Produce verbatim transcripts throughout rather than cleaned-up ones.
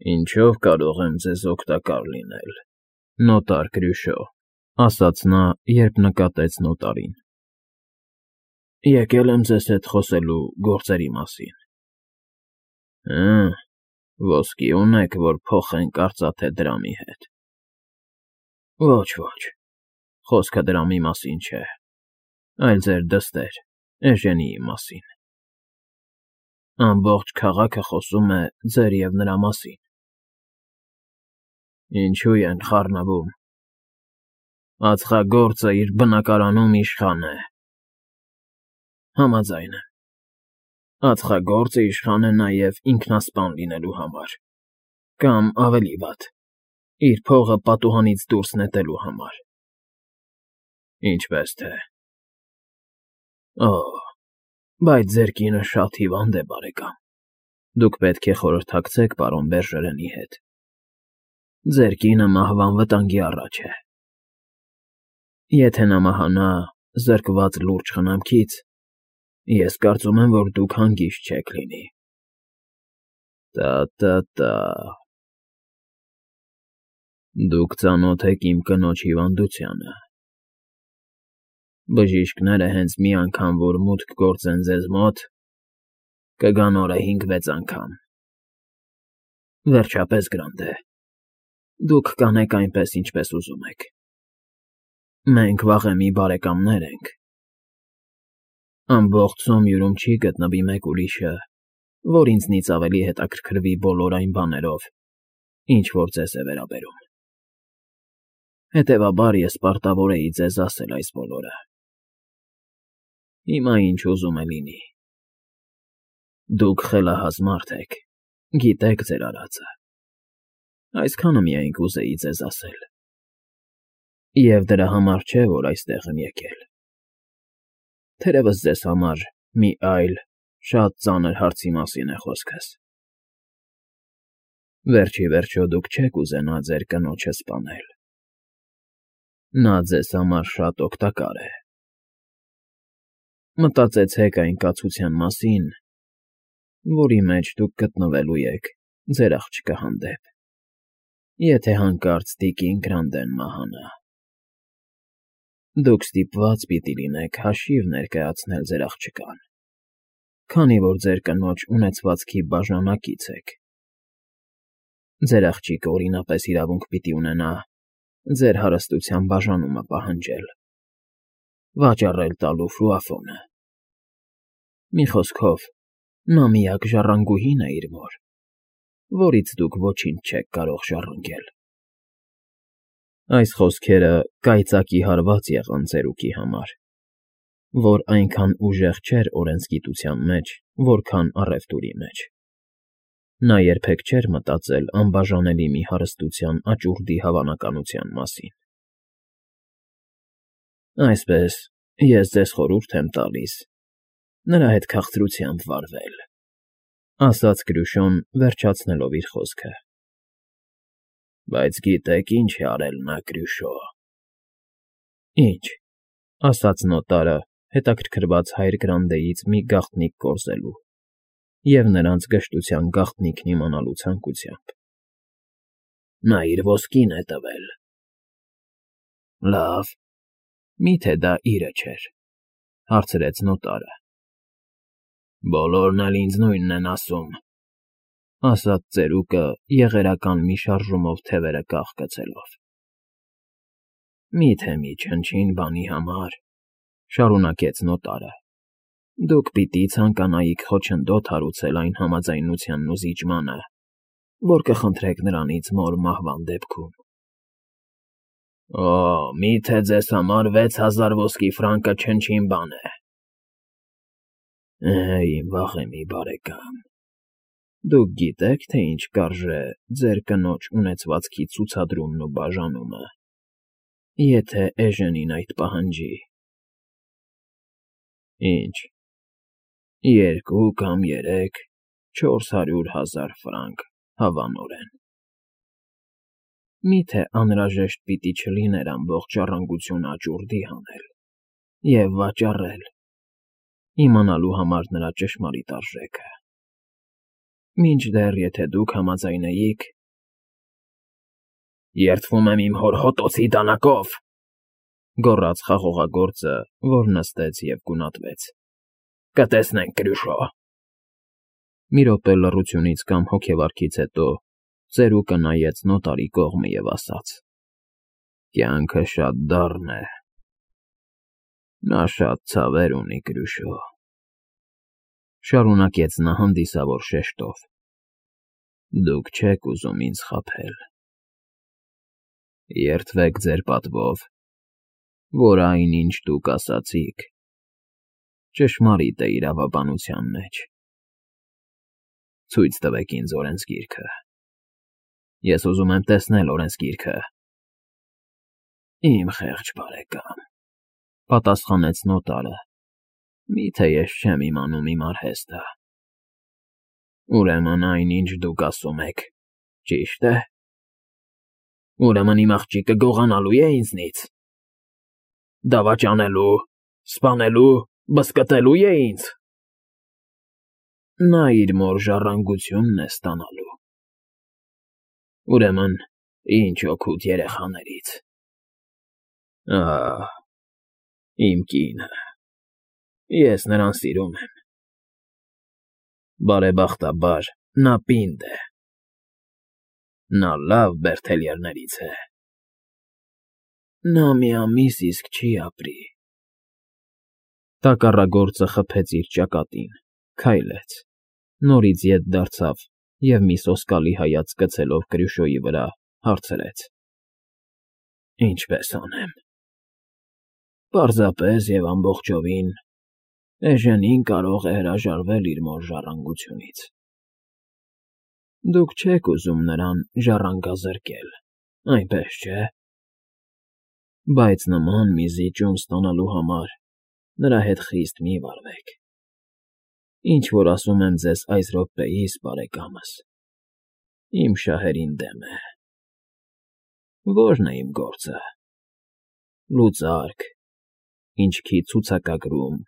Ինչո՞վ կարող եմ ձեզ օգտակար լինել, նոտար Կրյուշո,֊ ասաց նա, երբ նկատեց նոտարին։ ֊ Եկել եմ ձեզ հետ խոսելու գործերի մասին։ ֊ Հը՞, ոսկի ունեք, որ փոխենք արծաթե դրամի հետ։ ֊ Ոչ, ոչ, խոսքը դրամի մասին չէ, այլ ձեր դստեր՝ Էժենիի մասին։ Ամբողջ քաղաքը խոսում է ձեր և նրա մասին։ ֊ Ինչո՞ւ են խառնվում։ ֊ Ածխագործը իր բնակարանում իշխան է։ ֊ Համաձայն եմ։ Ածխագործը իշխան է նաև ինքնասպան լինելու համար, կամ, ավելի վատ, իր փողը պատուհանից դուրս նետելու համար։ ֊ Ինչպես թե։ ֊ Օ՜, բայց ձեր կինը շատ հիվանդ է, բարեկամ, դուք պետք է խորհրդակցեք պարոն Բերժերենի հետ։ Ձեր կինը մահվան վտանգի առաջ է։ Եթե նա մահանա զրկված լուրջ խնամքից, ես կարծում եմ, որ դուք հանգիստ չեք լինի։ ֊ Տա֊տա֊տա… Դուք ծանոթ եք իմ կնոջ հիվանդությանը։ Բժիշկները հենց մի անգամ որ մուտք գործեն ձեզ մոտ, կգան օրը հինգ֊վեց անգամ։ Վերջապես, Գրանտե, դուք կանեք այնպես, ինչպես ուզում եք։ Մենք վաղեմի բարեկամներ ենք։ Ամբողջ Սոմյուրում չի գտնվի մեկ ուրիշը, որ ինձնից ավելի հետաքրքրվի բոլոր այն բաներով, ինչ որ ձեզ է վերաբերում։ Հետևաբար ես պարտավոր էի ձեզ ասել այս բոլորը։ Հիմա ինչ ուզում է լինի։ Դուք խելահազ մարդ եք, գիտեք ձեր արածը։ Այսքանը միայն կուզեի ձեզ ասել։ Եվ դրա համար չէ, որ այստեղ եմ եկել։ Թերևս ձեզ համար մի այլ, շատ ծանր հարցի մասին է խոսքս։ Վերջ ի վերջո դուք չեք ուզենա ձեր կնոջը սպանել։ Նա ձեզ համար շատ օգտակար է։ Մտածեցեք այն կացության մասին, որի մեջ դուք գտնվելու եք ձեր աղջկա հանդեպ, եթե հանկարծ տիկին Գրանդեն մահանա։ Դուք ստիպված պիտի լինեք հաշիվ ներկայացնել ձեր աղջկան, քանի որ ձեր կնոջ ունեցվածքի բաժանակից եք։ Ձեր աղջիկը օրինապես իրավունք պիտի ունենա ձեր հարստության բաժանումը պահանջել, վաճառել տալու ֆրուաֆոնը։ Մի խոսքով, նա միակ ժառանգուհին է իր մոր, որից դուք ոչինչ չեք կարող ժառանգել։ Այս խոսքերը կայծակի հարված եղան ծերուկի համար, որ այնքան ուժեղ չէր օրենսգիտության մեջ, որքան առևտուրի մեջ։ Նա երբեք չէր մտածել անբաժանելի մի հարստության աճուրդի հավանականության մասին։ Այսպես, ես ձեզ խորհուրդ եմ տալիս նրա հետ քաղցրությամբ վարվել, ֊ ասաց Կրյուշոն, վերջացնելով իր խոսքը։ ֊ Բայց գիտե՞ք ինչ է արել նա, Կրյուշո։ ֊ Ինչ,֊ ասաց նոտարը, հետաքրքրված հայր Գրանտեից մի գաղտնիք կորզելու և նրանց գժտության գաղտնիքն իմանալու ցանկությամբ։ ֊ Նա իր ոսկին է տվել։ ֊ Լավ, մի՞թե դա իրը չէր,֊ հարցրեց նոտարը։ ֊ Բոլորն էլ ինձ նույնն են ասում,֊ ասաց ծերուկը, եղերական մի շարժումով թևերը կախ֊գցելով։ ֊ Մի՞թե մի չնչին բանի համար,֊ շարունակեց նոտարը,֊ դուք պիտի ցանկանայիք խոչընդոտ հարուցել այն համաձայնությանն ու զիջմանը, որ կխնդրեք նրանից մոր մահվան դեպքում։ ֊ Օ՜, մի՞թե ձեզ համար վեց հազար ոսկի ֆրանկը չնչին բան է։ ֊ Է, իմ վաղեմի բարեկամ, դուք գիտե՞ք, թե ինչ կարժե ձեր կնոջ ունեցվածքի ցուցադրումն ու բաժանումը, եթե Էժենին այդ պահանջի։ ֊ Ինչ, երկու կամ երեք, չորս հարյուր հազար ֆրանկ հավանորեն։ ֊ Մի՞թե անհրաժեշտ պիտի չլիներ ամբողջ ժառանգությունը աճուրդի հանել և վաճառել, իմանալու համար նրա ճշմարիտ արժեքը։ Մինչդեռ, եթե դուք համաձայնեիք… Երդվում եմ իմ հոր հոտոցի դանակով,֊ գոռաց խաղողագործը, որ նստեց և գունատվեց։֊ Կտեսնենք, Կրուշո… Մի րոպե լռությունից կամ հոգեվարքից հետո ծերուկը նայեց նոտարի կողմը և ասաց. Կյանքը շատ դառն է, նա շատ ցավեր ունի, Կրուշո… Շարունակեց նա հանդիսավոր շեշտով. Դուք չեք ուզում ինձ խաբել… Երդվեք ձեր պատվով, որ այն, ինչ դուք ասացիք, ճշմարիտ է իրավաբանության մեջ… Ցույց տվեք ինձ օրենսգիրքը… Ես ուզում եմ տեսնել օրենսգիրքը… Իմ խեղճ բարեկամ,֊ պատասխանեց նոտարը,֊ մի՞թե ես չեմ իմանում իմ արհեստը… Ուրեմն այն, ինչ դուք ասում եք, ճի՞շտ է… Ուրեմն իմ աղջիկը գողանալո՞ւ է ինձնից… Դավաճանելու, սպանելու, բզկտելո՞ւ է ինձ… Նա իր մոր ժառանգությունն է ստանալու… Ուրեմն ինչ օգուտ երեխաներից… Ահ, իմ կինը… Ես նրան սիրում եմ… Բարեբախտաբար, նա պինդ է… Նա լավ բերդելյերներից է… Նա մի ամիս իսկ չի ապրի… Տակառագործը խփեց իր ճակատին, քայլեց, նորից ետ դարձավ և, մի սոսկալի հայացք գցելով Կրուշոյի վրա, հարցրեց. Ինչպե՞ս անեմ… Պարզապես և ամբողջովին Էժենին կարող է հրաժարվել իր մոր ժառանգությունից… Դուք չեք ուզում նրան ժառանգազրկել, այնպես չէ՞… Բայց նման մի զիջում ստանալու համար նրա հետ խիստ մի վարվեք… Ինչ֊որ ասում եմ ձեզ այս րոպեիս, բարեկամս, իմ շահերին դեմ է… Ո՞րն է իմ գործը… Լուծարկ, ինչքի ցուցակագրում,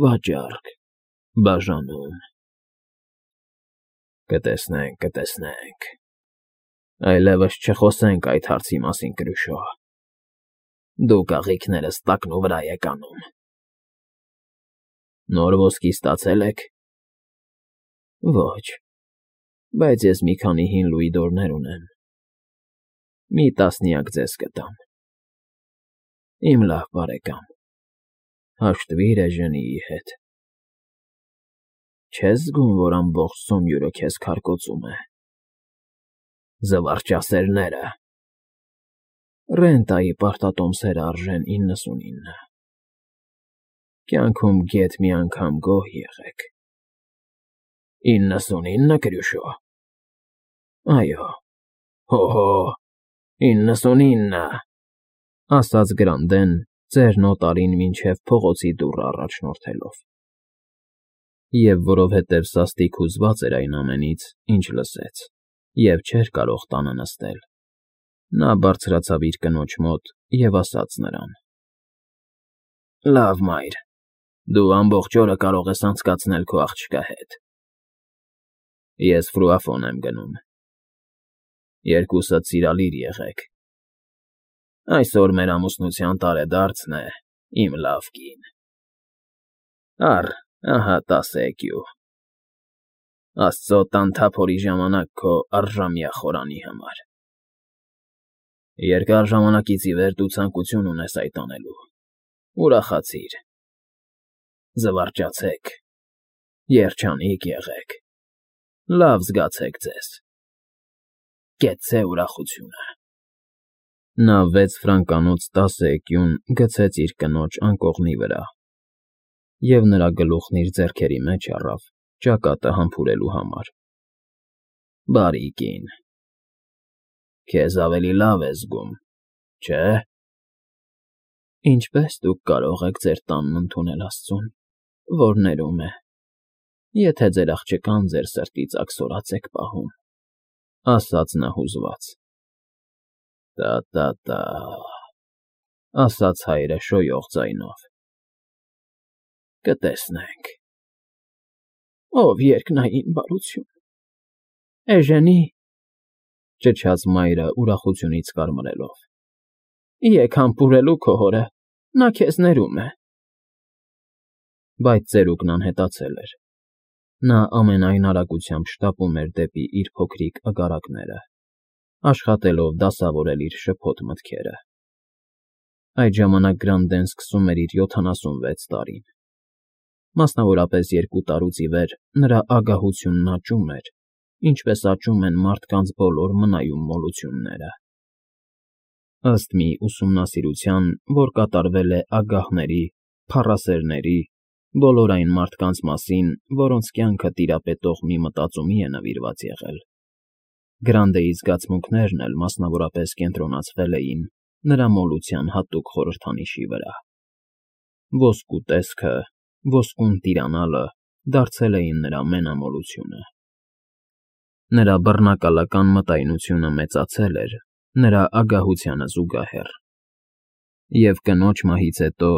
վաճառք, բաժանում… Կտեսնենք, կտեսնենք… Այլևս չխոսենք այդ հարցի մասին, Կրուշո… Դուք աղիքներս տակնուվրա եք անում… Նոր ոսկի ստացե՞լ եք… Ոչ, բայց ես մի քանի հին լուիդորներ ունեմ… Մի տասնյակ ձեզ կտամ… Իմ լավ բարեկամ, հաշտվիր էժենիի հետ… Չես զգում, որ ամբողջ Սոմյուրը քեզ քարկոծում է… Զվարճասերները… Ռենտայի պարտատոմսերը արժեն իննսունինը… Կյանքում գեթ մի անգամ գոհ եղեք… Իննսունի՞նը, Կրուշո… Այո, հո՜հո, իննսունինը…֊ ասաց Գրանդեն, ծեր նոտարին մինչև փողոցի դուռը առաջնորդելով… Եվ որովհետև սաստիկ հուզված էր այն ամենից, ինչ լսեց, և չէր կարող տանը նստել, նա բարձրացավ իր կնոջ մոտ և ասաց նրան. Լավ, մայր, դու ամբողջ օրը կարող ես անցկացնել քո աղջկա հետ… Ես ֆրուաֆոն եմ գնում… Երկուսդ սիրալիր եղեք… Այսօր մեր ամուսնության տարեդարձն է, իմ լավ կին… Առ, ահա տասը էկյու… Աստծո տան թափորի ժամանակ քո առժամյա խորանի համար… Երկար ժամանակից ի վեր դու ցանկություն ունես այդ անելու… Ուրախացիր… Զվարճացեք… Երջանիկ եղեք… Լավ զգացեք ձեզ… Կեցցե ուրախությունը… Նա վեց ֆրանկանոց տասը էկյուն գցեց իր կնոջ անկողնի վրա և նրա գլուխն իր ձեռքերի մեջ առավ, ճակատը համբուրելու համար… Բարի կին… Քեզ ավելի լավ ես զգում, չէ՞… Ինչպե՞ս դուք կարող եք ձեր տանն ընդունել աստծուն, որ ներում է, եթե ձեր աղջկան ձեր սրտից աքսորած եք պահում,֊ ասաց նա հուզված։ ֊ Տա՛֊տա՛֊տա՛,֊ ասաց հայրը շոյող ձայնով։ Կտեսնենք… Ով երկնային բարություն… Էժենի, ճչաց մայրը ուրախությունից կարմրելով։ Եկ համբուրելու քո հորը, նա քեզ ներում է։ Բայց ծերուկն անհետացել էր։ Նա ամենայն արագությամբ շտապում էր դեպի իր փոքրիկ agarakները, աշխատելով դասավորել իր շփոթ մտքերը։ Այդ ժամանակ Գրանդեն սկսում էր իր յոթանասունվեց տարին։ Մասնավորապես երկու տարուց ի վեր նրա ագահությունն աճում էր, ինչպես աճում են մարդկանց բոլոր մնայուն մոլությունները։ Ըստ մի ուսումնասիրության, որ կատարվել է ագահների, փառասերների, բոլոր այն մարդկանց մասին, որոնց կյանքը տիրապետող մի մտածումի է նվիրված եղել, Գրանդեի զգացմունքներն էլ մասնավորապես կենտրոնացվել էին նրա մոլության հատուկ խորհրդանիշի վրա։ Ոսկու տեսքը, ոսկուն տիրանալը դարձել էին նրա մենամոլությունը։ Նրա բռնակալական մտայնությունը մեծացել էր նրա ագահությանը զուգահեռ, և կնոջ մահից հետո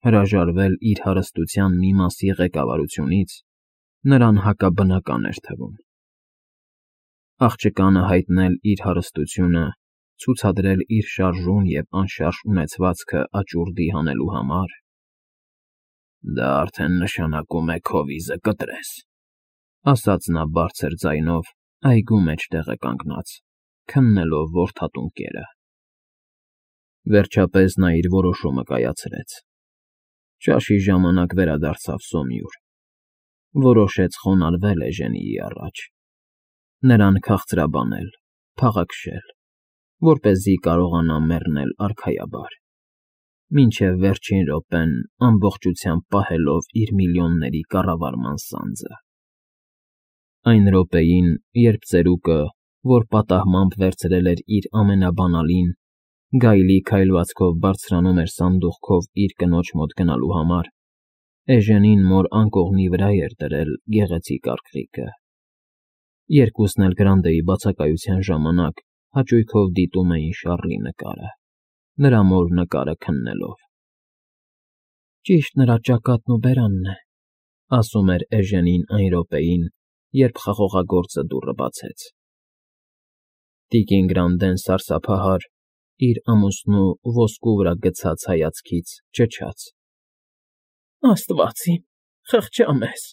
հրաժարվել իր հարստության մի մասի ղեկավարությունից նրան հակաբնական էր թվում։ Աղջկանը հայտնել իր հարստությունը, ցուցադրել իր շարժուն և անշարժ ունեցվածքը աճուրդի հանելու համար, դա արդեն նշանակում է քո վիզը կտրես, ասաց նա բարձր ձայնով այգու մեջ տեղեկանգնած, քննելով որդատուն կերը։ Վերջապես նա իր որոշումը կայացրեց։ Ճաշի ժամանակ վերադարձավ Սոմյուր, որոշեց խոնարհվել Էժենիի առաջ, նրան քաղցրաբանել, փաղաքշել, որպեսզի կարողանա մեռնել արքայաբար, մինչև վերջին րոպեն ամբողջությամբ պահելով իր միլիոնների կառավարման սանձը։ Այն րոպեին, երբ ծերուկը, որ պատահմամբ վերցրել էր իր ամենաբանալին, գայլի քայլվածքով բարձրանում էր սանդուղքով իր կնոջ մոտ գնալու համար, Էժենին մոր անկողնի վրա էր դրել գեղեցիկ արքղիկը։ Երկուսն էլ Գրանդեի բացակայության ժամանակ հաճույքով դիտում էին Շառլի նկարը, նրա մոր նկարը քննելով։ Ճիշտ նրա ճակատն ու բերանն է, ասում էր Էժենին այն րոպեին, երբ խաղողագործը դուռը բացեց։ Տիկին Գրանդեն սարսափահար, իր ամուսնու ոսկու վրա գցած հայացքից ճչաց. Աստված իմ, խղճա մեզ։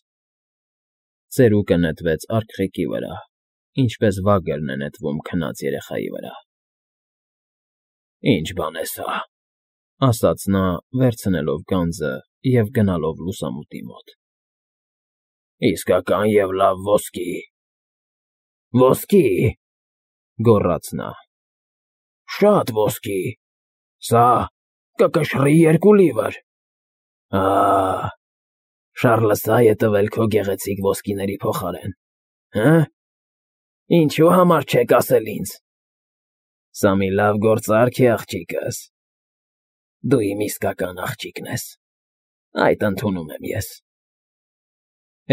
Ծերուկը նետվեց արքղիկի վրա, ինչպես վագերն է նետվում քնած երեխայի վրա։ Ինչ բան է սա, ասաց նա, վերցնելով գանձը և գնալով լուսամուտի մոտ։ Իսկական և լավ ոսկի։ Ոսկի, գոռաց նա։ Շատ ոսկի, սա կկշռի երկու լիվր։ Ահ, Շառլը սա է տվել քո գեղեցիկ ոսկիների փոխարեն, հը՞։ Ինչու համար չեք ասել ինձ։ Սա մի լավ գործարք է, աղջիկս։ Դու իմ իսկական աղջիկն ես, այդ ընդունում եմ ես։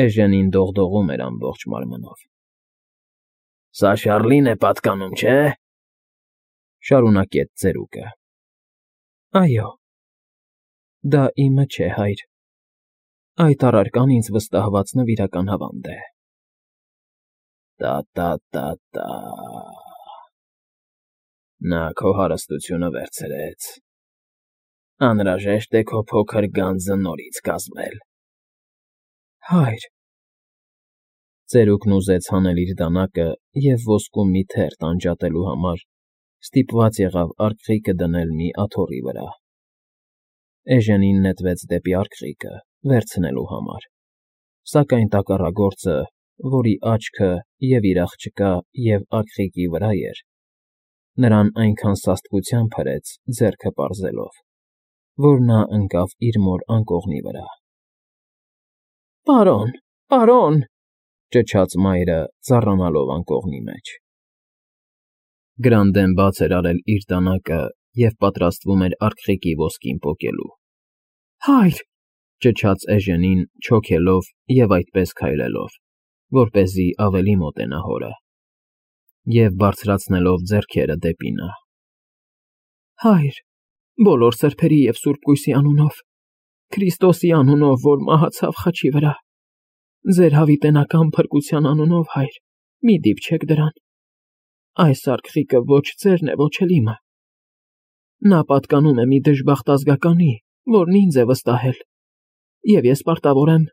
Էժենին դողդողում էր ամբողջ մարմնով։ Սա Շառլին է պատկանում, չէ՞։ Շարունակեց ծերուկը։ Այո, դա իմը չէ, հայր, այդ առարկան ինձ վստահված նվիրական հավանդ է։ Տա֊տա֊տա֊տա… Նա քո հարստությունը վերցրեց։ Անհրաժեշտ է քո փոքր գանձը նորից կազմել։ Հայր… Ծերուկն ուզեց հանել իր դանակը և ոսկու մի թերթ անջատելու համար ստիպված եղավ արքղիկը դնել մի աթոռի վրա։ Էժենին նետվեց դեպի արքղիկը, վերցնելու համար, սակայն տակառագործը, որի աչքը և իր աղջկա, և արքղիկի վրա էր, նրան այնքան սաստկությամբ հրեց, ձեռքը պարզելով, որ նա ընկավ իր մոր անկողնի վրա։ Պարոն, պարոն, ճչաց մայրը, ծառանալով անկողնի մեջ։ Գրանդեն բաց էր արել իր դանակը և պատրաստվում էր արքղիկի ոսկին պոկելու։ Հայր, ճչաց Էժենին, չոքելով և այդպես քայլելով, որպեսզի ավելի մոտենա հորը, և բարձրացնելով ձեռքերը դեպի նա։ Հայր, բոլոր սրբերի և Սուրբ Կույսի անունով, Քրիստոսի անունով, որ մահացավ խաչի վրա, ձեր հավիտենական փրկության անունով, հայր, մի դիպչեք դրան։ Այս արքղիկը ոչ ձերն է, ոչ էլ իմը։ Նա պատկանում է մի դժբախտ ազգականի, որն ինձ է վստահել, և ես պարտավոր եմ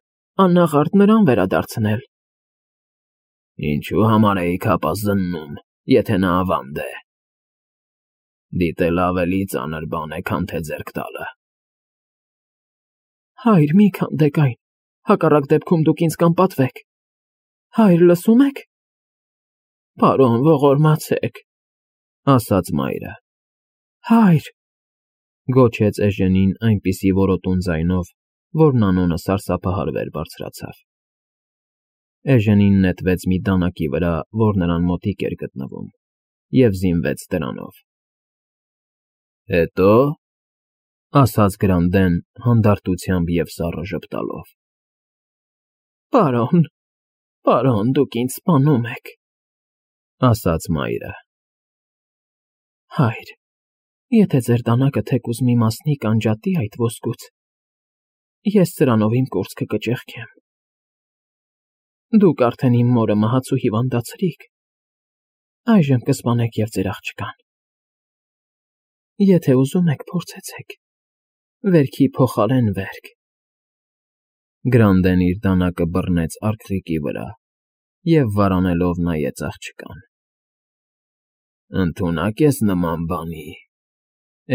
աննաղարդ նրան վերադարձնել։ Ինչու համար էիք հապա զննում, եթե նա ավանդ է։ Դիտել ավելի ծանր բան է, քան թե ձեռք տալը։ Հայր, մի քանդեք այն, հակառակ դեպքում դուք ինձ կանպատվեք։ Հայր, լսում եք։ Պարոն, ողորմացեք, ասաց մայրը։ Հայր, գոչեց Էժենին այնպիսի որոտուն ձայնով, որ Նանոնը սարսափահար բարձրացավ։ Էժենին նետվեց մի դանակի վրա, որ նրան մոտիկ էր գտնվում, և զինվեց դրանով։ Հետո՞, ասաց Գրանդեն հանդարտությամբ և սառը ժպտալով։ Պարոն, պարոն, դուք ինձ սպանում եք, ասաց մայրը։ Հայր, եթե ձեր դանակը թեկուզ մի մասնիկ անջատի այդ ոսկուց, ես սրանով իմ կուրծքը կճեղքեմ։ Դուք արդեն իմ մորը մահացու հիվանդացրիք, այժմ կսպանեք և ձեր աղջկան։ Եթե ուզում եք, փորձեցեք, վերքի փոխարեն վերք։ Գրանդեն իր դանակը բռնեց արքղիկի վրա և վարանելով նայեց աղջկան։ Ընդունակ ես նման բանի,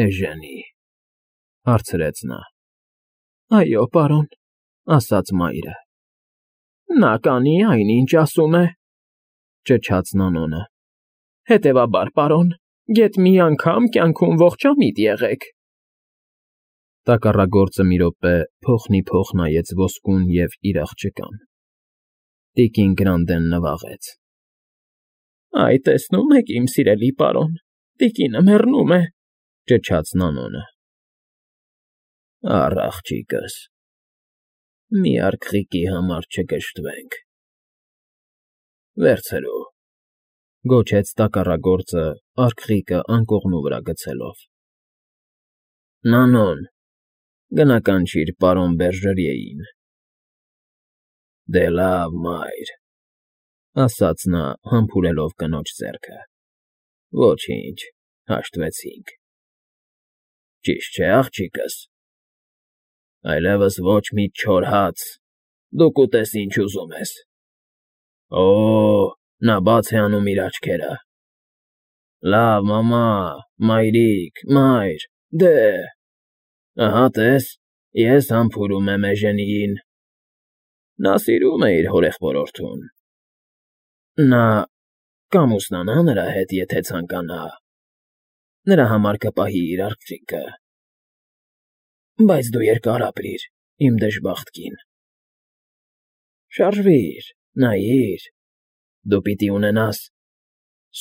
Էժենի, հարցրեց նա։ Այո, պարոն, ասաց մայրը։ Նա կանի այն, ինչ ասում է, ճչաց Նանոնը։ Հետևաբար, պարոն, գեթ մի անգամ կյանքում ողջամիտ եղեք։ Տակառագործը մի րոպե փոխնիփոխ նայեց ոսկուն և իր աղջկան։ Տիկին Գրանդեն նվաղեց. Այ, տեսնում եք, իմ սիրելի պարոն, տիկինը մեռնում է, ճչաց Նանոնը։ Առ աղջիկս, մի արքղիկի համար չգժտվենք։ Վերցրու, գոչեց տակառագործը արքղիկը անկողնու վրա գցելով։ Նանոն, գնա կանչիր պարոն Բերժերիեին։ Դե լավ, մայր, ասաց նա համբուրելով կնոջ ձեռքը։ Ոչինչ, հաշտվեցինք։ Ճիշտ չէ, աղջիկս։ Այլևս ոչ մի չոր հաց, դու կուտես, ինչ ուզում ես։ Օ, նա բաց է անում իր աչքերը։ Լավ, մամա, մայրիկ, մայր, դե… Ահա տես, ես համբուրում եմ Էժենիին։ Նա սիրում է իր հորեղբորորդուն։ Նա կամուսնանա նրա հետ, եթե ցանկանա։ Նրա համար կպահի իր արքղիկը։ Բայց դու երկար ապրիր, իմ դժբախտ կին։ Շարժվիր, նայիր, դու պիտի ունենաս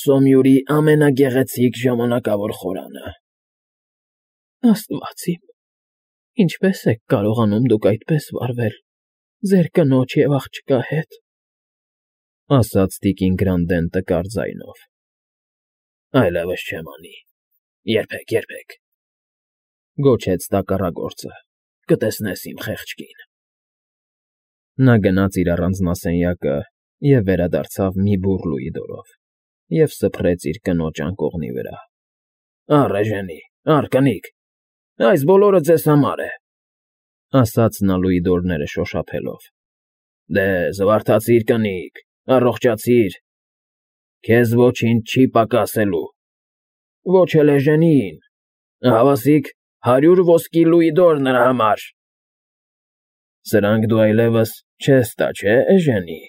Սոմյուրի ամենագեղեցիկ ժամանակավոր խորանը։ Աստված իմ, ինչպե՞ս եք կարողանում դուք այդպես վարվել ձեր կնոջ և աղջկա հետ, ասաց տիկին Գրանդեն տկար ձայնով։ Այլևս չեմ անի, երբեք, երբեք, գոչեց տակառագործը, կտեսնես իմ խեղճ կին։ Նա գնաց իր առանձնասենյակը և վերադարձավ մի բուռ լուիդորով և սփռեց իր կնոջ անկողնի վրա։ Առ, Էժենի, առ, կնիկ, այս բոլորը ձեզ համար է, ասաց նա լուիդորները շոշափելով։ Դե, զվարթացիր, կնիկ, առողջացիր, քեզ ոչինչ չի պակասելու, ոչ էլ Էժենիին, հավասիկ հարյուր ոսկի լուիդոր նրա համար։ Սրանք դու այլևս չես տա, չէ, Էժենի։